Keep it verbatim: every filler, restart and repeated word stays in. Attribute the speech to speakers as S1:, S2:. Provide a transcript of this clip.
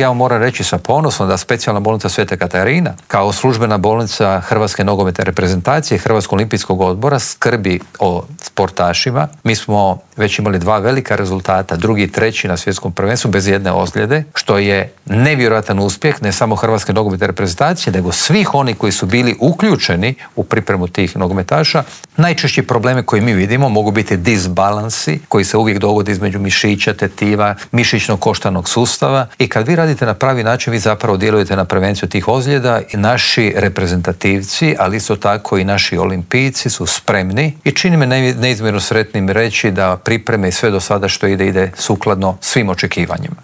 S1: Ja vam moram reći sa ponosom da specijalna bolnica Sveta Katarina kao službena bolnica Hrvatske nogometne reprezentacije Hrvatskog olimpijskog odbora skrbi o sportašima. Mi smo već imali dva velika rezultata, drugi i treći na svjetskom prvenstvu bez jedne ozljede, što je nevjerojatan uspjeh ne samo Hrvatske nogometne reprezentacije, nego svih oni koji su bili uključeni u pripremu tih nogometaša. Najčešći problemi koji mi vidimo mogu biti disbalansi koji se uvijek dogode između mišića, tetiva, mišićnog koštanog sustava i kad vi radite na pravi način, vi zapravo djelujete na prevenciju tih ozljeda i naši reprezentativci, ali isto tako i naši olimpijci su spremni i čini me neizmjerno sretnim reći da pripreme i sve do sada što ide, ide sukladno svim očekivanjima.